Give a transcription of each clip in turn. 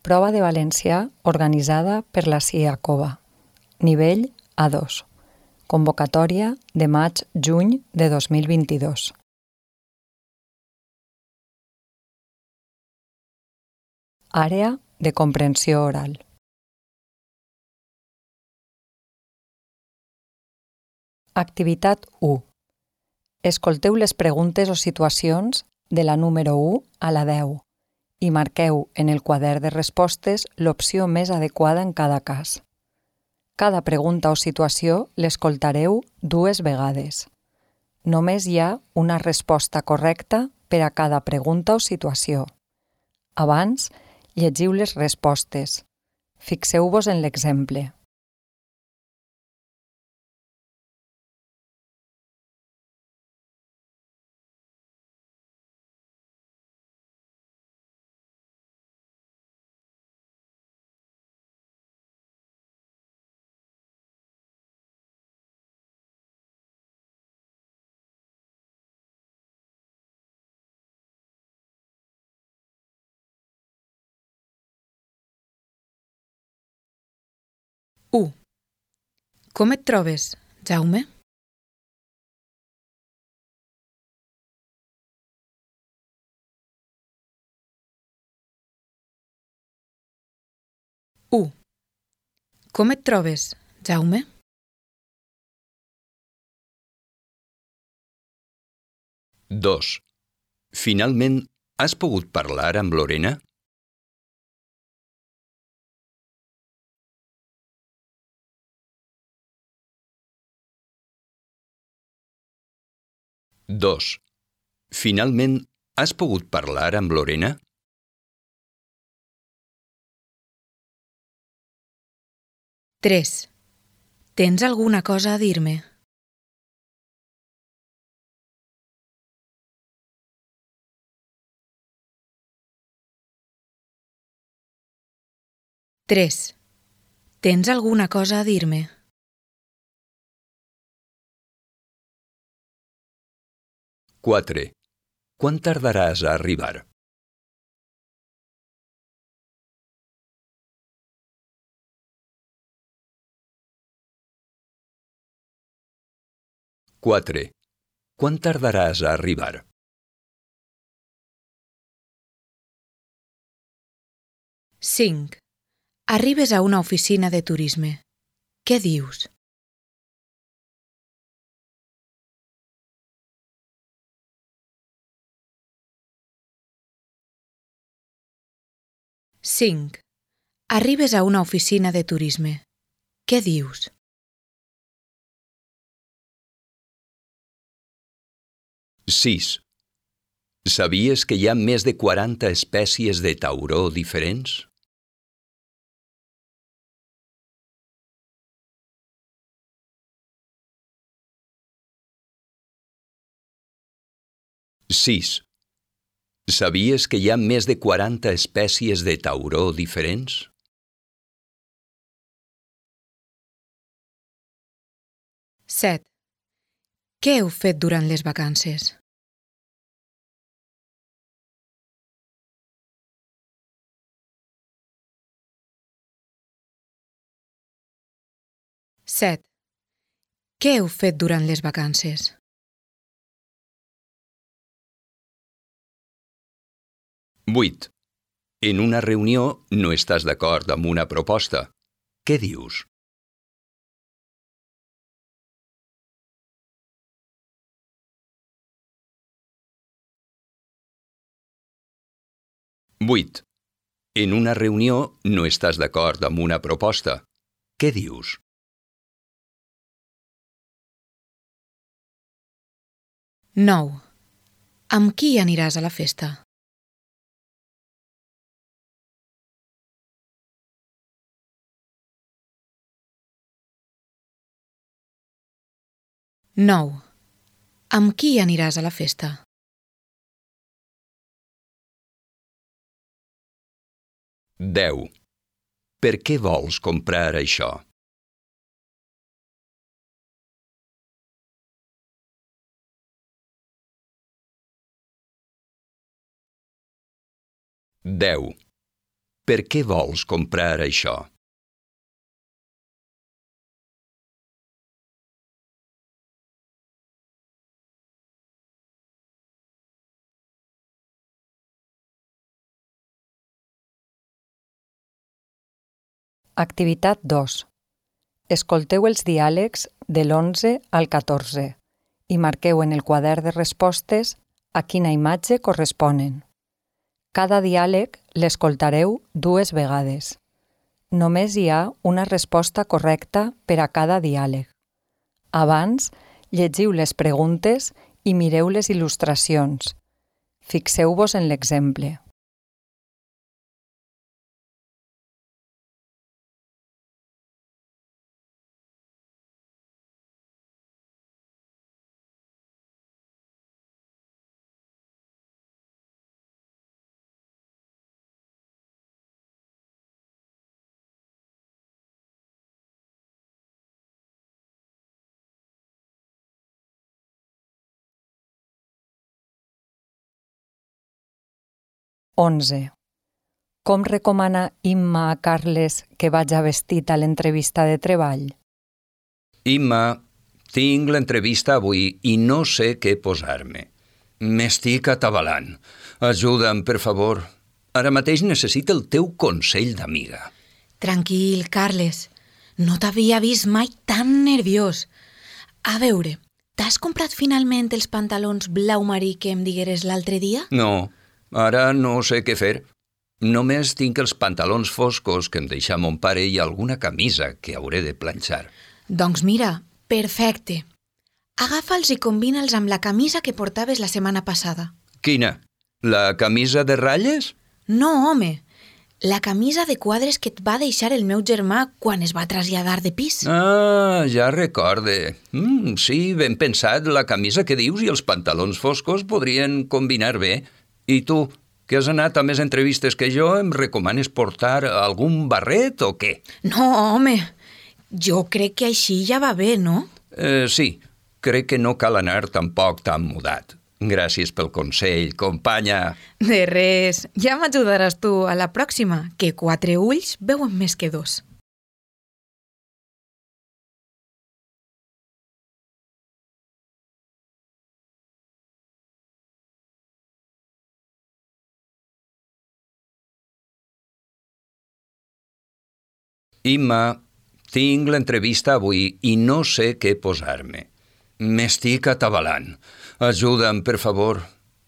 Prova de valencià organitzada per la CIACOVA. Nivell A2. Convocatòria de maig-juny de 2022. Àrea de comprensió oral. Activitat 1. Escolteu les preguntes o situacions de la número 1 a la 10 i marqueu en el quadern de respostes l'opció més adequada en cada cas. Cada pregunta o situació l'escoltareu 2 vegades. Només hi ha una resposta correcta per a cada pregunta o situació. Abans, llegiu les respostes. Fixeu-vos en l'exemple. Com et trobes, Jaume? Com et trobes, Jaume? Dos. Finalment, has pogut parlar amb Lorena? Dos. Finalment, has pogut parlar amb Lorena? 3. Tens alguna cosa a dir-me? Tens alguna cosa a dir-me? 4. Quan tardaràs a arribar? 4. Quan tardaràs a arribar? 5. Arribes a una oficina de turisme. Què dius? 5. Arribes a una oficina de turisme. Què dius? 6. Sabies que hi ha més de 40 espècies de tauró diferents? 6. Sabies que hi ha més de 40 espècies de tauró diferents? 7. Què heu fet durant les vacances? 7. Què heu fet durant les vacances? 8. En una reunió no estàs d'acord amb una proposta. Què dius? 8. En una reunió no estàs d'acord amb una proposta. Què dius? 9. Amb qui aniràs a la festa? 9. Amb qui aniràs a la festa? 10. Per què vols comprar això? 10. Per què vols comprar això? Activitat 2. Escolteu els diàlegs de l'11 al 14 i marqueu en el quadern de respostes a quina imatge corresponen. Cada diàleg l'escoltareu 2 vegades. Només hi ha una resposta correcta per a cada diàleg. Abans, llegiu les preguntes i mireu les il·lustracions. Fixeu-vos en l'exemple. (11) Com recomana Imma a Carles que vaja vestit a l'entrevista de treball? Imma, tinc l'entrevista avui i no sé què posar-me. M'estic atabalant. Ajuda'm, per favor. Ara mateix necessito el teu consell d'amiga. Tranquil, Carles. No t'havia vist mai tan nerviós. A veure, t'has comprat finalment els pantalons blau marí que em digueres l'altre dia? No, ara no sé què fer. Només tinc els pantalons foscos que em deixà mon pare i alguna camisa que hauré de planxar. Doncs mira, perfecte. Agafa'ls i combina'ls amb la camisa que portaves la setmana passada. Quina? La camisa de ratlles? No, home. La camisa de quadres que et va deixar el meu germà quan es va traslladar de pis. Ah, ja recorde. Sí, ben pensat, la camisa que dius i els pantalons foscos podrien combinar bé. I tu, que has anat a més entrevistes que jo, em recomanes portar algun barret o què? No, home. Jo crec que així ja va bé, no? Sí, crec que no cal anar tampoc tan mudat. Gràcies pel consell, companya. De res. Ja m'ajudaràs tu a la pròxima, que 4 ulls veuen més que 2. Imma, tinc l'entrevista avui i no sé què posar-me. M'estic atabalant. Ajuda'm, per favor.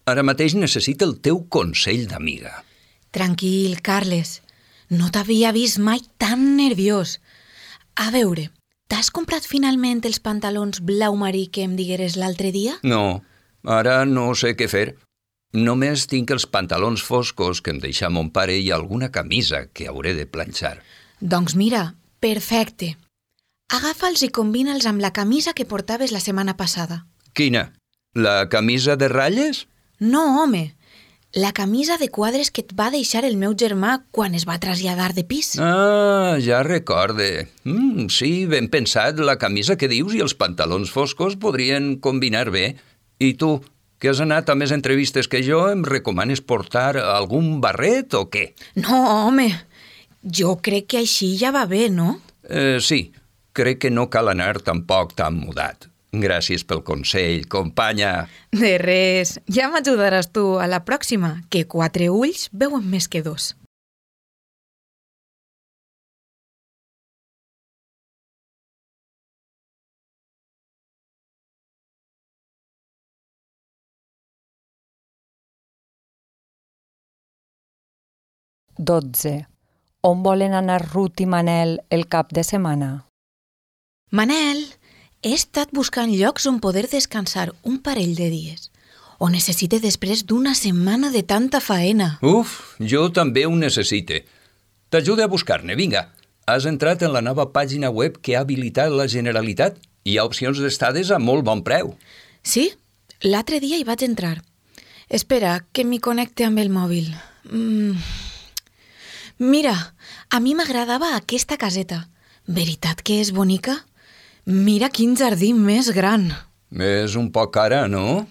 Ara mateix necessito el teu consell d'amiga. Tranquil, Carles. No t'havia vist mai tan nerviós. A veure, t'has comprat finalment els pantalons blau marí que em digueres l'altre dia? No, ara no sé què fer. Només tinc els pantalons foscos que em deixà mon pare i alguna camisa que hauré de planxar. Doncs mira, perfecte. Agafa'ls i combina'ls amb la camisa que portaves la setmana passada. Quina? La camisa de ratlles? No, home. La camisa de quadres que et va deixar el meu germà quan es va traslladar de pis. Ah, ja recorde. Sí, ben pensat, la camisa que dius i els pantalons foscos podrien combinar bé. I tu, que has anat a més entrevistes que jo, em recomanes portar algun barret o què? No, home. Jo crec que així ja va bé, no? Sí, crec que no cal anar tampoc tan mudat. Gràcies pel consell, companya. De res. Ja m'ajudaràs tu a la pròxima, que 4 ulls veuen més que 2. (12) On volen anar Ruth i Manel el cap de setmana? Manel, he estat buscant llocs on poder descansar un parell de dies. Ho necessite després d'una setmana de tanta faena. Uf, jo també ho necessite. T'ajude a buscar-ne, vinga. Has entrat en la nova pàgina web que ha habilitat la Generalitat? Hi ha opcions d'estades a molt bon preu. Sí, l'altre dia hi vaig entrar. Espera, que m'hi connecte amb el mòbil. Mira, a mi m'agradava aquesta caseta. Veritat que és bonica? Mira quin jardí més gran. És un poc cara, no?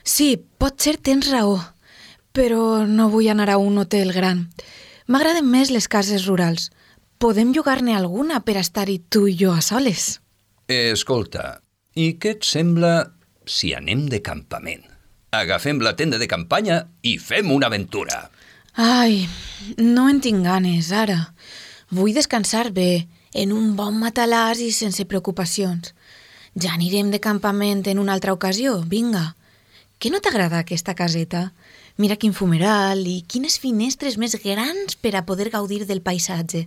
Sí, potser tens raó, però no vull anar a un hotel gran. M'agraden més les cases rurals. Podem llogar-ne alguna per estar-hi tu i jo a soles. Escolta, i què et sembla si anem de campament? Agafem la tenda de campanya i fem una aventura. Ai, no en tinc ganes, ara. Vull descansar bé, en un bon matalàs i sense preocupacions. Ja anirem de campament en una altra ocasió, vinga. Què no t'agrada aquesta caseta? Mira quin fumeral i quines finestres més grans per a poder gaudir del paisatge.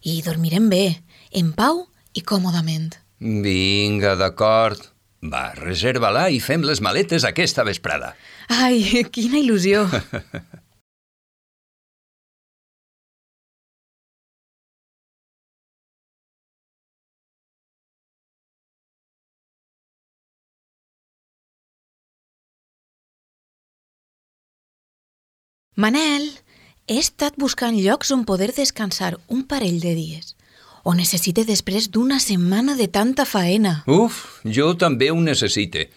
I dormirem bé, en pau i còmodament. Vinga, d'acord. Va, reserva-la i fem les maletes aquesta vesprada. Ai, quina il·lusió! Manel, he estat buscant llocs on poder descansar un parell de dies. Ho necessite després d'una setmana de tanta faena. Uf, jo també ho necessite.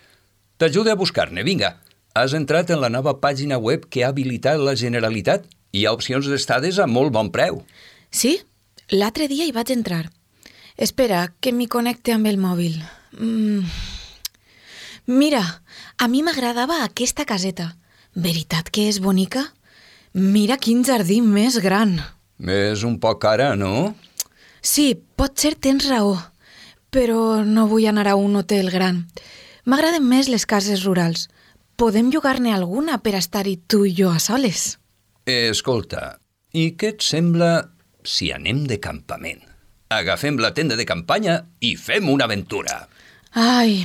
T'ajude a buscar-ne, vinga. Has entrat en la nova pàgina web que ha habilitat la Generalitat? Hi ha opcions d'estades a molt bon preu. Sí, l'altre dia hi vaig entrar. Espera, que m'hi connecte amb el mòbil. Mira, a mi m'agradava aquesta caseta. Veritat que és bonica? Mira quin jardí més gran. És un poc cara, no? Sí, potser tens raó, però no vull anar a un hotel gran. M'agraden més les cases rurals. Podem llogar-ne alguna per estar-hi tu i jo a soles. Escolta, i què et sembla si anem de campament? Agafem la tenda de campanya i fem una aventura. Ai,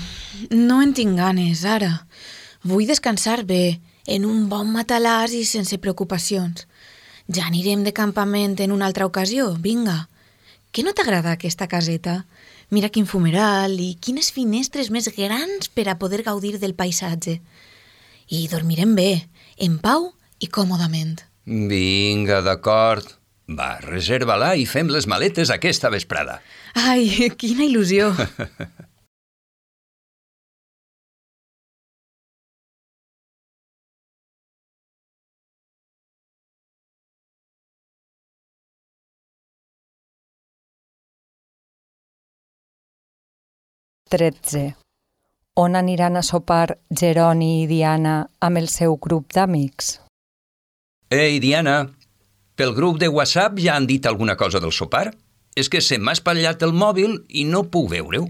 no en tinc ganes, ara. Vull descansar bé, en un bon matalàs i sense preocupacions. Ja anirem de campament en una altra ocasió, vinga. Què no t'agrada aquesta caseta? Mira quin fumeral i quines finestres més grans per a poder gaudir del paisatge. I dormirem bé, en pau i còmodament. Vinga, d'acord. Va, reserva-la i fem les maletes aquesta vesprada. Ai, quina il·lusió! XIII. On aniran a sopar Jeroni i Diana amb el seu grup d'amics? Ei, Diana, pel grup de WhatsApp ja han dit alguna cosa del sopar? És que se m'ha espatllat el mòbil i no puc veure-ho.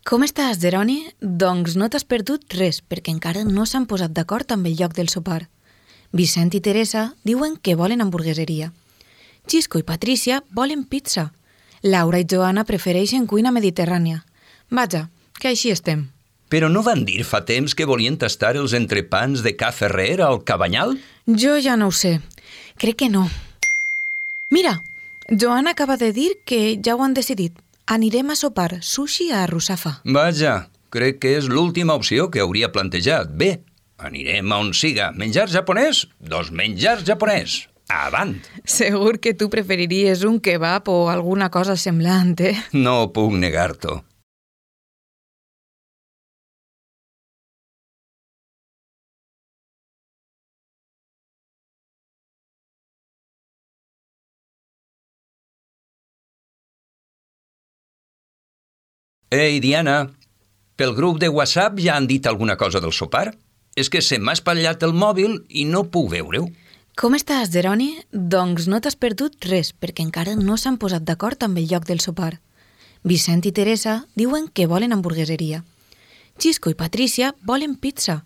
Com estàs, Jeroni? Doncs no t'has perdut res, perquè encara no s'han posat d'acord amb el lloc del sopar. Vicent i Teresa diuen que volen hamburgueseria. Xisco i Patrícia volen pizza. Laura i Joana prefereixen cuina mediterrània. Vaja, que així estem. Però no van dir fa temps que volien tastar els entrepans de Ca Ferrer al Cabanyal? Jo ja no ho sé. Crec que no. Mira, Joana acaba de dir que ja ho han decidit. Anirem a sopar sushi a Russafa. Vaja, crec que és l'última opció que hauria plantejat. Bé, anirem a on siga. Menjar japonès? Doncs menjar japonès. Avant! Segur que tu preferiries un kebab o alguna cosa semblant, eh? No puc negar-t'ho. Ei, Diana, pel grup de WhatsApp ja han dit alguna cosa del sopar? És que se m'ha espatllat el mòbil i no puc veure-ho. Com estàs, Jeroni? Doncs no t'has perdut res, perquè encara no s'han posat d'acord amb el lloc del sopar. Vicent i Teresa diuen que volen hamburgueseria. Xisco i Patrícia volen pizza.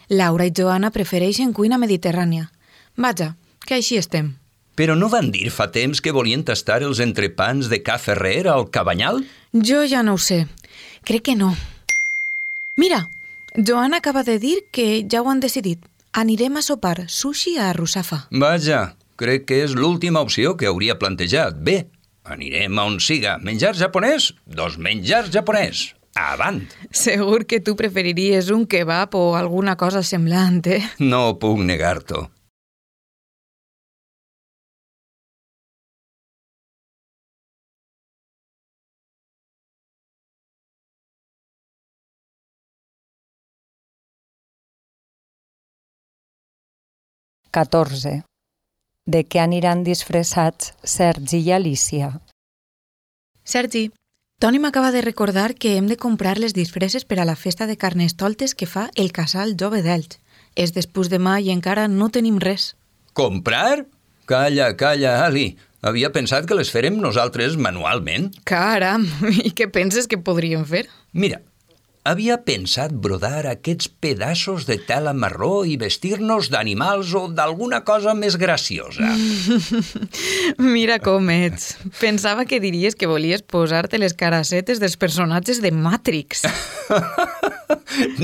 Laura i Joana prefereixen cuina mediterrània. Vaja, que així estem. Però no van dir fa temps que volien tastar els entrepans de Ca Ferrer al Cabanyal? Jo ja no ho sé. Crec que no. Mira, Joana acaba de dir que ja ho han decidit. Anirem a sopar sushi a Russafa. Vaja, crec que és l'última opció que hauria plantejat. Bé, anirem a on siga. Menjar japonès? Doncs menjar japonès. Avant! Segur que tu preferiries un kebab o alguna cosa semblant, eh? No puc negar-t'ho. XIV. De què aniran disfressats Sergi i Alicia? Sergi, Toni m'acaba de recordar que hem de comprar les disfresses per a la festa de Carnestoltes que fa el casal jove d'Elx. És després demà i encara no tenim res. Comprar? Calla, Ali. Havia pensat que les farem nosaltres manualment. Caram, i què penses que podríem fer? Mira, havia pensat brodar aquests pedaços de tela marró i vestir-nos d'animals o d'alguna cosa més graciosa. Mira com ets. Pensava que diries que volies posar-te les caracetes dels personatges de Matrix.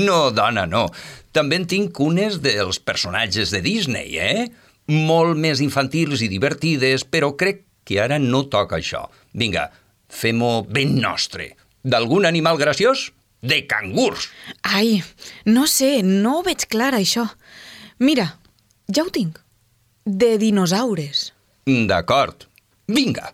No, dona, no. També en tinc unes dels personatges de Disney, Molt més infantils i divertides, però crec que ara no toca això. Vinga, fem-ho ben nostre. D'algun animal graciós? De cangurs. Ai, no sé, no ho veig clar, això. Mira, ja ho tinc. De dinosaures. D'acord. Vinga.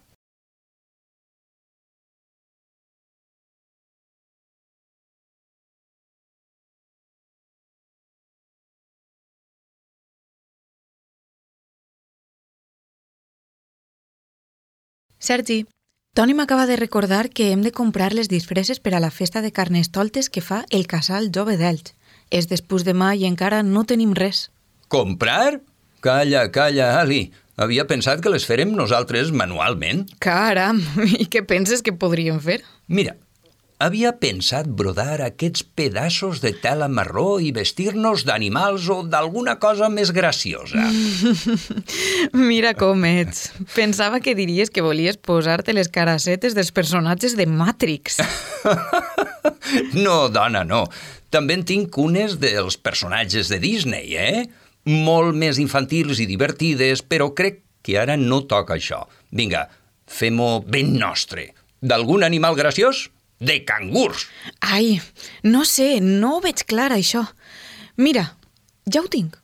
Sergi, Toni m'acaba de recordar que hem de comprar les disfresses per a la festa de Carnestoltes que fa el casal jove d'Elx. És després demà i encara no tenim res. Comprar? Calla, Ali. Havia pensat que les farem nosaltres manualment. Caram, i què penses que podríem fer? Mira, havia pensat brodar aquests pedaços de tela marró i vestir-nos d'animals o d'alguna cosa més graciosa. Mira com ets. Pensava que diries que volies posar-te les caracetes dels personatges de Matrix. No, dona, no. També en tinc unes dels personatges de Disney, Molt més infantils i divertides, però crec que ara no toca això. Vinga, fem-ho ben nostre. D'algun animal graciós? De cangurs. Ai, no sé, no ho veig clar, això. Mira, ja ho tinc.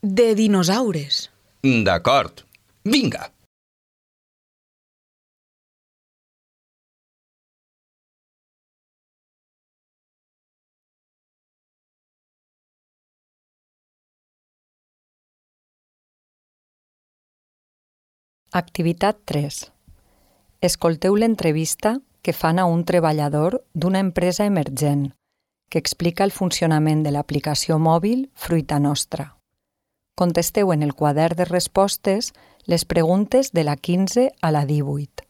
De dinosaures. D'acord. Vinga. Activitat 3. Escolteu l'entrevista que fan a un treballador d'una empresa emergent que explica el funcionament de l'aplicació mòbil Fruita Nostra. Contesteu en el quadern de respostes les preguntes de la 15 a la 18.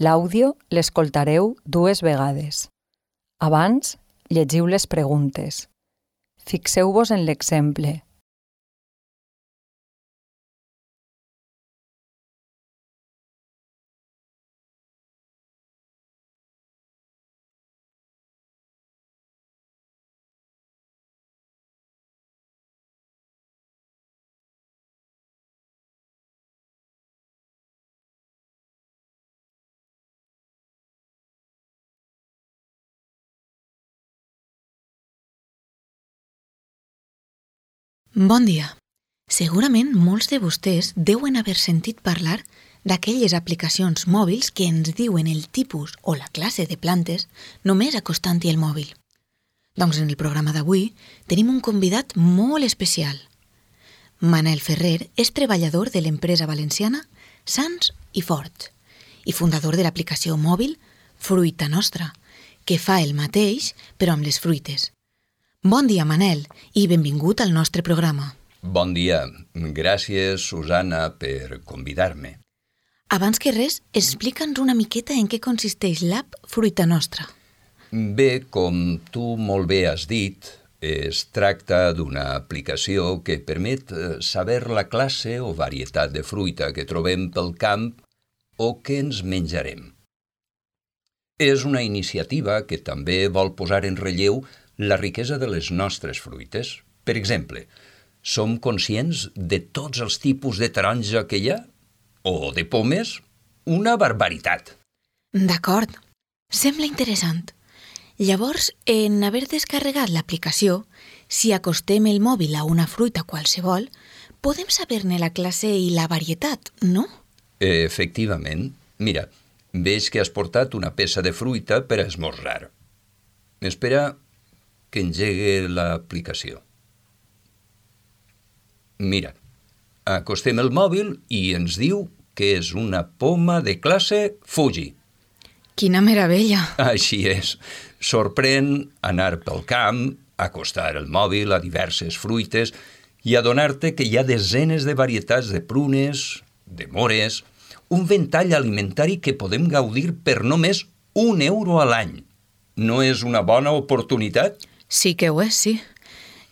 L'àudio l'escoltareu 2 vegades. Abans, llegiu les preguntes. Fixeu-vos en l'exemple. Bon dia. Segurament molts de vostès deuen haver sentit parlar d'aquelles aplicacions mòbils que ens diuen el tipus o la classe de plantes només acostant-hi el mòbil. Doncs en el programa d'avui tenim un convidat molt especial. Manel Ferrer és treballador de l'empresa valenciana Sans i Fort i fundador de l'aplicació mòbil Fruita Nostra, que fa el mateix però amb les fruites. Bon dia, Manel, i benvingut al nostre programa. Bon dia. Gràcies, Susana, per convidar-me. Abans que res, explica'ns una miqueta en què consisteix l'app Fruita Nostra. Bé, com tu molt bé has dit, es tracta d'una aplicació que permet saber la classe o varietat de fruita que trobem pel camp o que ens menjarem. És una iniciativa que també vol posar en relleu la riquesa de les nostres fruites. Per exemple, som conscients de tots els tipus de taronja que hi ha? O de pomes? Una barbaritat. D'acord. Sembla interessant. Llavors, en haver descarregat l'aplicació, si acostem el mòbil a una fruita qualsevol, podem saber-ne la classe i la varietat, no? Efectivament. Mira, veig que has portat una peça de fruita per a esmorzar. Espera que engegue l'aplicació. Mira, Acostem el mòbil i ens diu que és una poma de classe Fuji. Quina meravella! Així és. Sorprèn anar pel camp, acostar el mòbil a diverses fruites i adonar-te que hi ha desenes de varietats de prunes, de mores, un ventall alimentari que podem gaudir per només €1 a l'any. No és una bona oportunitat? Sí que ho és, sí.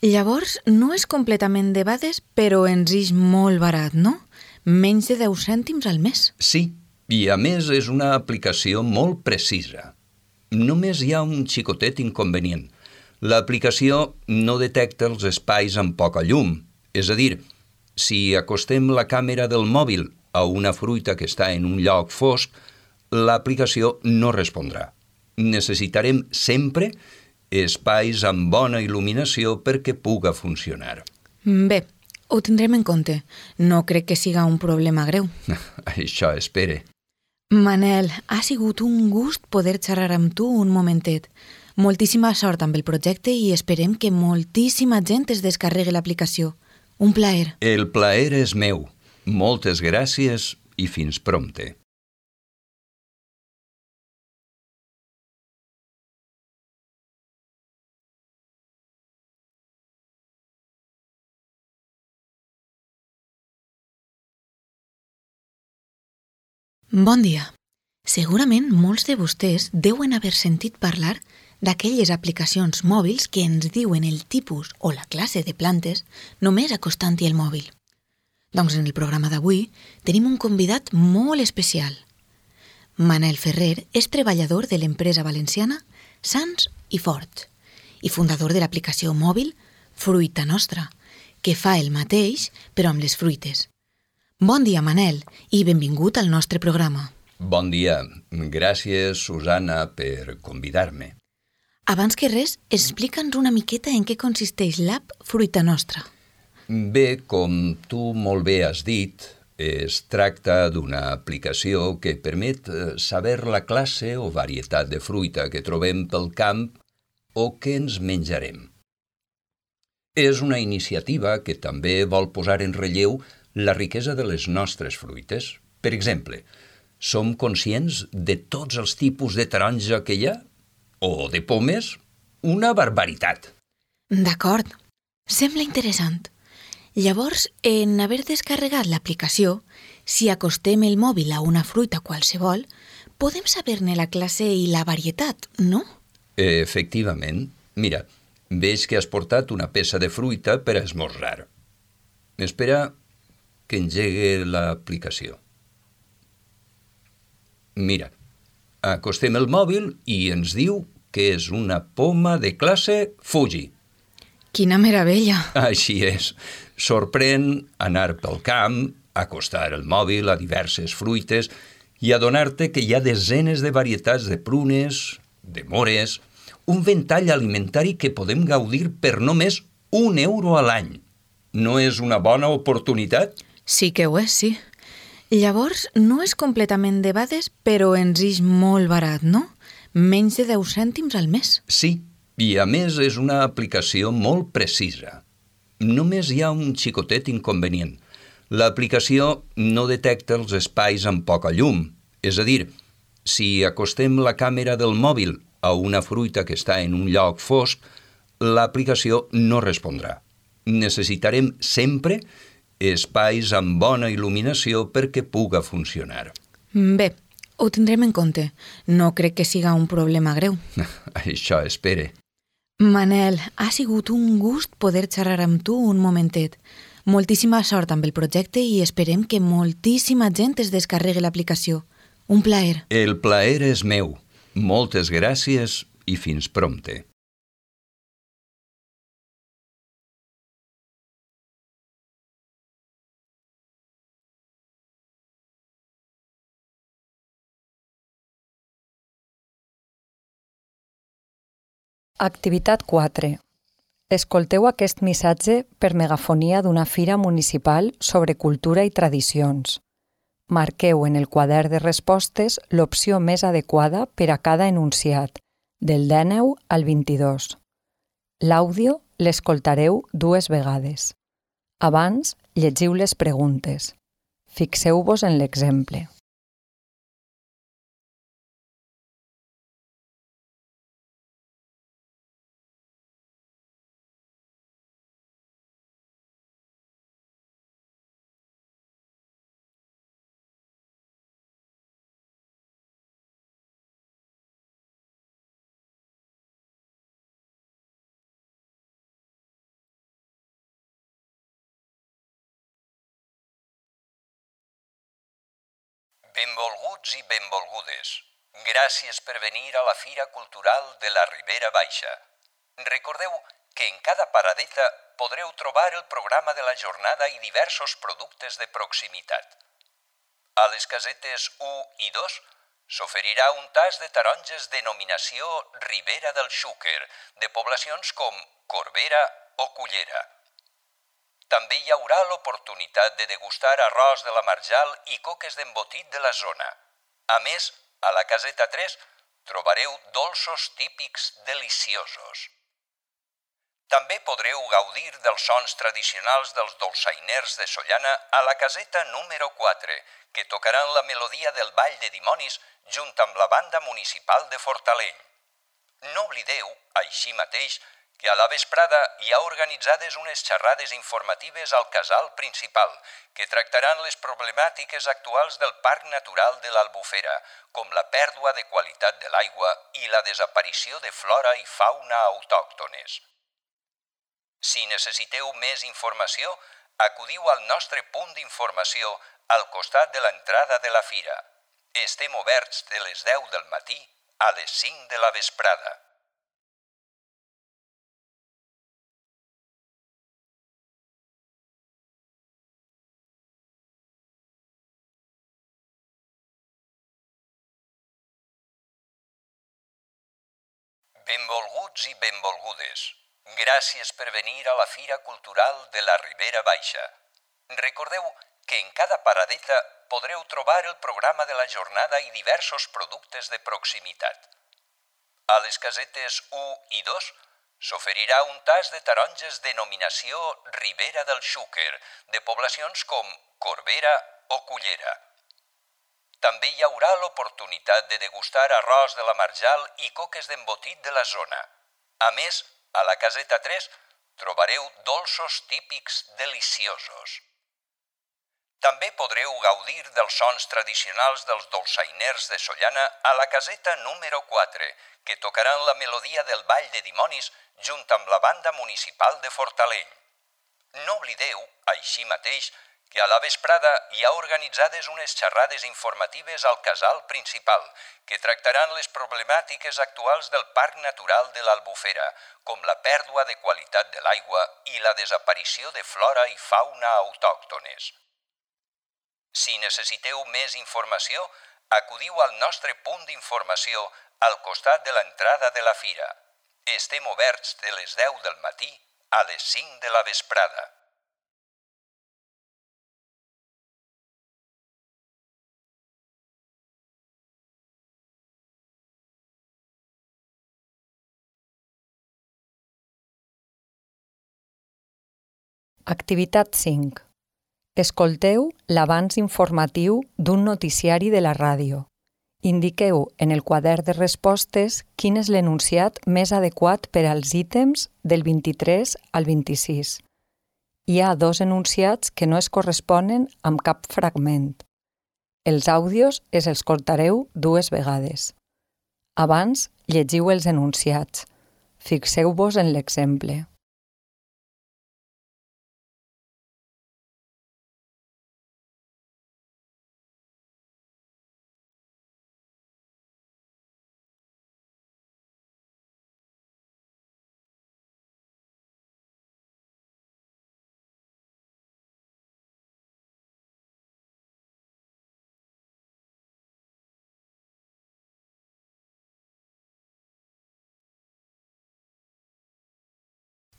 Llavors, no és completament debades, però ens és molt barat, no? Menys de 10 cèntims al mes. Sí, i a més és una aplicació molt precisa. Només hi ha un xicotet inconvenient. L'aplicació no detecta els espais amb poca llum. És a dir, si acostem la càmera del mòbil a una fruita que està en un lloc fosc, l'aplicació no respondrà. Necessitarem sempre espais amb bona il·luminació perquè puga funcionar. Bé, ho tindrem en compte. No crec que siga un problema greu. Això espere. Manel, ha sigut un gust poder xerrar amb tu un momentet. Moltíssima sort amb el projecte i esperem que moltíssima gent es descarregui l'aplicació. Un plaer. El plaer és meu. Moltes gràcies i fins prompte. Bon dia. Segurament molts de vostès deuen haver sentit parlar d'aquelles aplicacions mòbils que ens diuen el tipus o la classe de plantes només acostant-hi el mòbil. Doncs en el programa d'avui tenim un convidat molt especial. Manel Ferrer és treballador de l'empresa valenciana Sans i Fort i fundador de l'aplicació mòbil Fruita Nostra, que fa el mateix però amb les fruites. Bon dia, Manel, i benvingut al nostre programa. Bon dia. Gràcies, Susana, per convidar-me. Abans que res, explica'ns una miqueta en què consisteix l'app Fruita Nostra. Bé, com tu molt bé has dit, es tracta d'una aplicació que permet saber la classe o varietat de fruita que trobem pel camp o que ens menjarem. És una iniciativa que també vol posar en relleu la riquesa de les nostres fruites. Per exemple, som conscients de tots els tipus de taronja que hi ha? O de pomes? Una barbaritat. D'acord. Sembla interessant. Llavors, en haver descarregat l'aplicació, si acostem el mòbil a una fruita qualsevol, podem saber-ne la classe i la varietat, no? Efectivament. Mira, veig que has portat una peça de fruita per a esmorzar. Espera que engegue l'aplicació. Mira, acostem el mòbil i ens diu que és una poma de classe Fuji. Quina meravella! Així és. Sorprèn anar pel camp, acostar el mòbil a diverses fruites i adonar-te que hi ha desenes de varietats de prunes, de mores, un ventall alimentari que podem gaudir per només €1 a l'any. No és una bona oportunitat? Sí que ho és, sí. Llavors, no és completament debades, però ens és molt barat, no? Menys de 10 cèntims al mes. Sí, i a més és una aplicació molt precisa. Només hi ha un xicotet inconvenient. L'aplicació no detecta els espais amb poca llum. És a dir, si acostem la càmera del mòbil a una fruita que està en un lloc fosc, l'aplicació no respondrà. Necessitarem sempre espais amb bona il·luminació perquè puga funcionar. Bé, ho tindrem en compte. No crec que siga un problema greu. Això espere. Manel, ha sigut un gust poder xerrar amb tu un momentet. Moltíssima sort amb el projecte i esperem que moltíssima gent es descarregui l'aplicació. Un plaer. El plaer és meu. Moltes gràcies i fins prompte. Activitat 4. Escolteu aquest missatge per megafonia d'una fira municipal sobre cultura i tradicions. Marqueu en el quadern de respostes l'opció més adequada per a cada enunciat, del 19 al 22. L'àudio l'escoltareu 2 vegades. Abans, llegiu les preguntes. Fixeu-vos en l'exemple. Benvolguts i benvolgudes. Gràcies per venir a la Fira Cultural de la Ribera Baixa. Recordeu que en cada paradeta podreu trobar el programa de la jornada i diversos productes de proximitat. A les casetes 1 i 2 s'oferirà un tas de taronges denominació Ribera del Xúquer, de poblacions com Corbera o Cullera. També hi haurà l'oportunitat de degustar arròs de la Marjal i coques d'embotit de la zona. A més, a la caseta 3 trobareu dolços típics deliciosos. També podreu gaudir dels sons tradicionals dels dolçainers de Sollana a la caseta número 4, que tocaran la melodia del Ball de Dimonis junt amb la banda municipal de Fortaleny. No oblideu, així mateix, que a la vesprada hi ha organitzades unes xerrades informatives al casal principal que tractaran les problemàtiques actuals del Parc Natural de l'Albufera, com la pèrdua de qualitat de l'aigua i la desaparició de flora i fauna autòctones. Si necessiteu més informació, acudiu al nostre punt d'informació al costat de l'entrada de la fira. Estem oberts de les 10 del matí a les 5 de la vesprada. Benvolguts i benvolgudes. Gràcies per venir a la Fira Cultural de la Ribera Baixa. Recordeu que en cada paradeta podreu trobar el programa de la jornada i diversos productes de proximitat. A les casetes 1 i 2 s'oferirà un tas de taronges denominació Ribera del Xúquer, de poblacions com Corbera o Cullera. També hi haurà l'oportunitat de degustar arròs de la Marjal i coques d'embotit de la zona. A més, a la caseta 3 trobareu dolços típics deliciosos. També podreu gaudir dels sons tradicionals dels dolçainers de Sollana a la caseta número 4, que tocaran la melodia del Ball de Dimonis junt amb la banda municipal de Fortaleny. No oblideu, així mateix, que a la vesprada hi ha organitzades unes xerrades informatives al casal principal que tractaran les problemàtiques actuals del Parc Natural de l'Albufera, com la pèrdua de qualitat de l'aigua i la desaparició de flora i fauna autòctones. Si necessiteu més informació, acudiu al nostre punt d'informació al costat de l'entrada de la fira. Estem oberts de les 10 del matí a les 5 de la vesprada. Activitat 5. Escolteu l'avanç informatiu d'un noticiari de la ràdio. Indiqueu en el quadern de respostes quin és l'enunciat més adequat per als ítems del 23 al 26. Hi ha 2 enunciats que no es corresponen amb cap fragment. Els àudios els escoltareu 2 vegades. Abans, llegiu els enunciats. Fixeu-vos en l'exemple.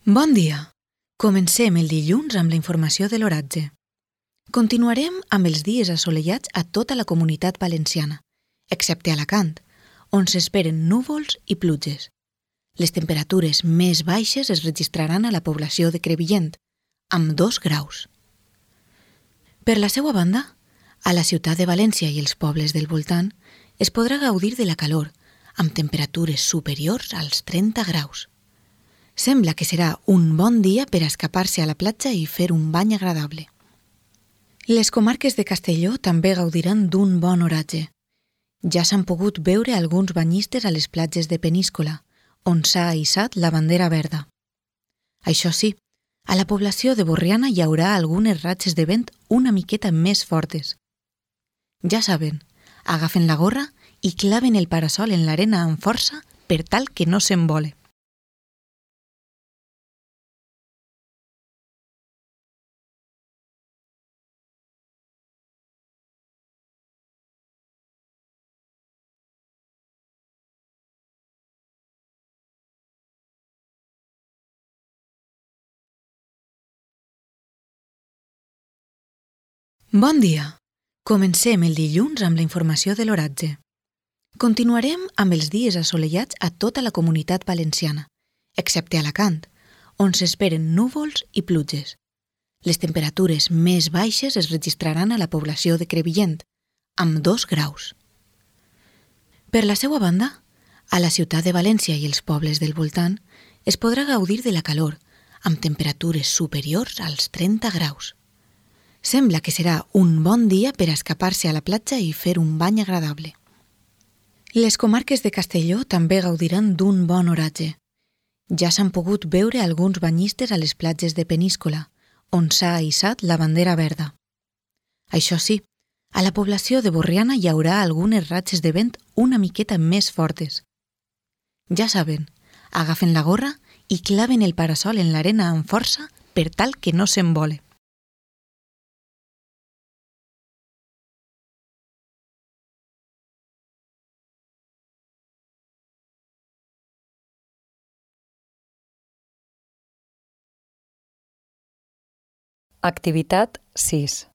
Bon dia! Comencem el dilluns amb la informació de l'oratge. Continuarem amb els dies assolellats a tota la comunitat valenciana, excepte Alacant, on s'esperen núvols i pluges. Les temperatures més baixes es registraran a la població de Crevillent, amb 2 graus. Per la seva banda, a la ciutat de València i els pobles del voltant es podrà gaudir de la calor, amb temperatures superiors als 30 graus. Sembla que serà un bon dia per escapar-se a la platja i fer un bany agradable. Les comarques de Castelló també gaudiran d'un bon oratge. Ja s'han pogut veure alguns banyistes a les platges de Peníscola, on s'ha hissat la bandera verda. Això sí, a la població de Borriana hi haurà algunes ratxes de vent una miqueta més fortes. Ja saben, agafen la gorra i claven el parasol en l'arena amb força per tal que no s'embole. Bon dia! Comencem el dilluns amb la informació de l'oratge. Continuarem amb els dies assolellats a tota la comunitat valenciana, excepte a Alacant, on s'esperen núvols i pluges. Les temperatures més baixes es registraran a la població de Crevillent, amb 2 graus. Per la seva banda, a la ciutat de València i els pobles del voltant es podrà gaudir de la calor, amb temperatures superiors als 30 graus. Sembla que serà un bon dia per escapar-se a la platja i fer un bany agradable. Les comarques de Castelló també gaudiran d'un bon oratge. Ja s'han pogut veure alguns banyistes a les platges de Peníscola, on s'ha hissat la bandera verda. Això sí, a la població de Borriana hi haurà algunes ratxes de vent una miqueta més fortes. Ja saben, agafen la gorra i claven el parasol en l'arena amb força per tal que no s'embole. Activitat 6.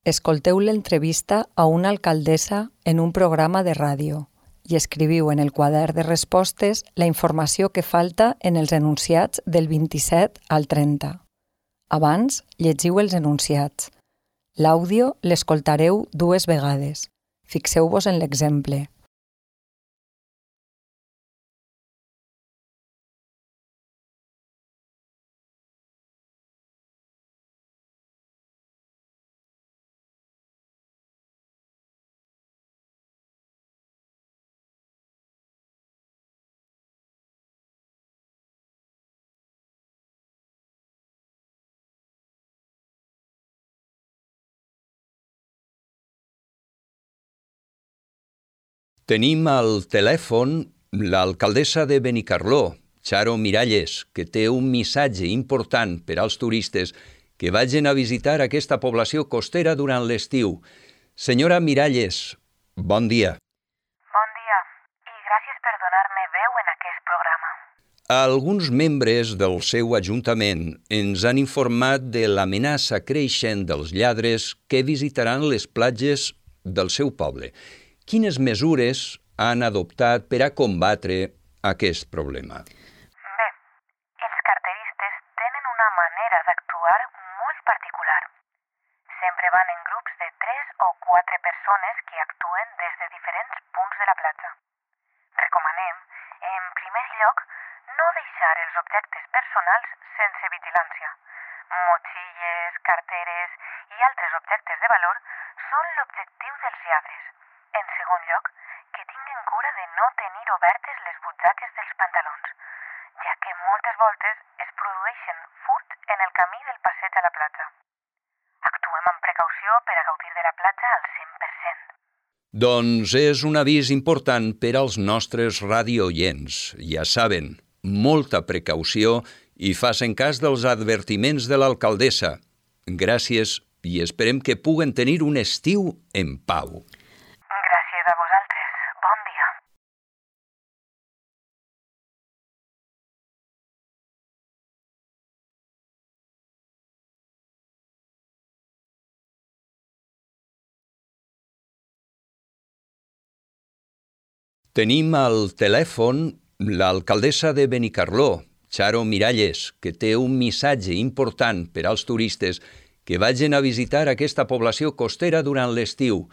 Escolteu l'entrevista a una alcaldessa en un programa de ràdio i escriviu en el quadern de respostes la informació que falta en els enunciats del 27 al 30. Abans, llegiu els enunciats. L'àudio l'escoltareu 2 vegades. Fixeu-vos en l'exemple. Tenim al telèfon l'alcaldessa de Benicarló, Charo Miralles, que té un missatge important per als turistes que vagin a visitar aquesta població costera durant l'estiu. Senyora Miralles, bon dia. Bon dia, i gràcies per donar-me veu en aquest programa. Alguns membres del seu ajuntament ens han informat de l'amenaça creixent dels lladres que visitaran les platges del seu poble. Quines mesures han adoptat per a combatre aquest problema? Bé, els carteristes tenen una manera d'actuar molt particular. Sempre van en grups de 3 o 4 persones que actuen des de diferents punts de la platja. Recomanem, en primer lloc, no deixar els objectes personals sense vigilància. Motxilles, carteres i altres objectes de valor són l'objectiu dels lladres. En segon lloc, que tinguin cura de no tenir obertes les butxaques dels pantalons, ja que moltes voltes es produeixen furts en el camí del passeig a la platja. Actuem amb precaució per a gaudir de la platja al 100%. Doncs és un avís important per als nostres radiooients. Ja saben, molta precaució i facin cas dels advertiments de l'alcaldessa. Gràcies i esperem que puguen tenir un estiu en pau. Gràcies a vosaltres. Bon dia. Tenim al telèfon l'alcaldessa de Benicarló, Charo Miralles, que té un missatge important per als turistes que vagin a visitar aquesta població costera durant l'estiu.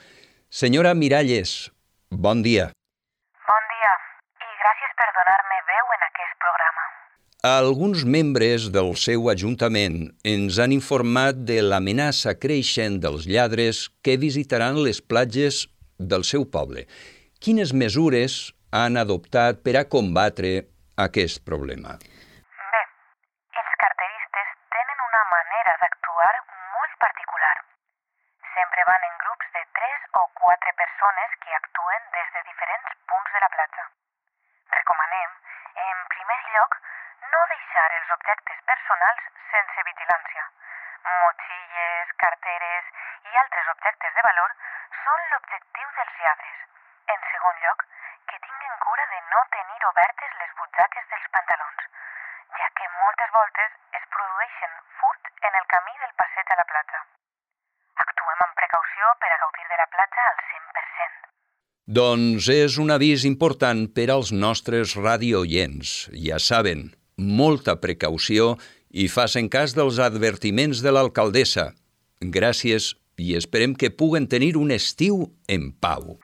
Senyora Miralles, bon dia. Bon dia i gràcies per donar-me veu en aquest programa. Alguns membres del seu ajuntament ens han informat de l'amenaça creixent dels lladres que visitaran les platges del seu poble. Quines mesures han adoptat per a combatre aquest problema? Bé, els carteristes tenen una manera d'actuar molt particular. Sempre van en grups de 3 o 4 persones que actuen des de diferents punts de la platja. Recomanem, en primer lloc, no deixar els objectes personals sense vigilància. Motxilles, carteres i altres objectes de valor són l'objectiu dels lladres. En segon lloc, que tinguin cura de no tenir obertes les butxaques dels pantalons, ja que moltes voltes es produeixen furts en el camí del passeig a la platja. Actuem amb precaució per a gaudir de la platja al 100%. Doncs és un avís important per als nostres radiooients. Ja saben, molta precaució i facin cas dels advertiments de l'alcaldessa. Gràcies i esperem que puguen tenir un estiu en pau.